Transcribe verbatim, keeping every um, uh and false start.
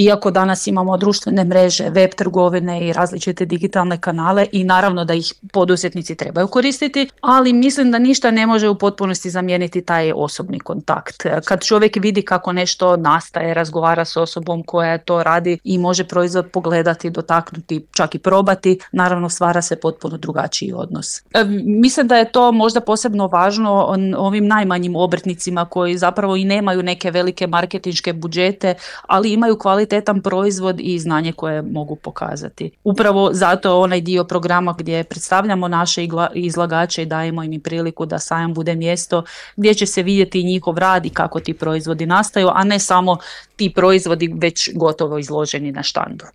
iako danas imamo društvene mreže, web trgovine i različite digitalne kanale i naravno da ih poduzetnici trebaju koristiti, ali mislim da ništa ne može u potpunosti zamijeniti taj osobni kontakt. Kad čovjek vidi kako nešto nastaje, razgovara s osobom koja to radi i može proizvod pogledati, dotaknuti, čak i probati, naravno stvara se potpuno drugačiji odnos. E, mislim da je to možda posebno važno ovim najmanjim obrtnicima koji zapravo i nemaju neke velike marketinške budžete, ali imaju kvalitetan proizvod i znanje koje mogu pokazati. Upravo zato onaj dio programa gdje predstavljamo naše izlagače i dajemo im priliku da sajam bude mjesto gdje će se vidjeti njihov rad i kako ti proizvodi nastaju, a ne samo ti proizvodi već gotovo izloženi na štandu.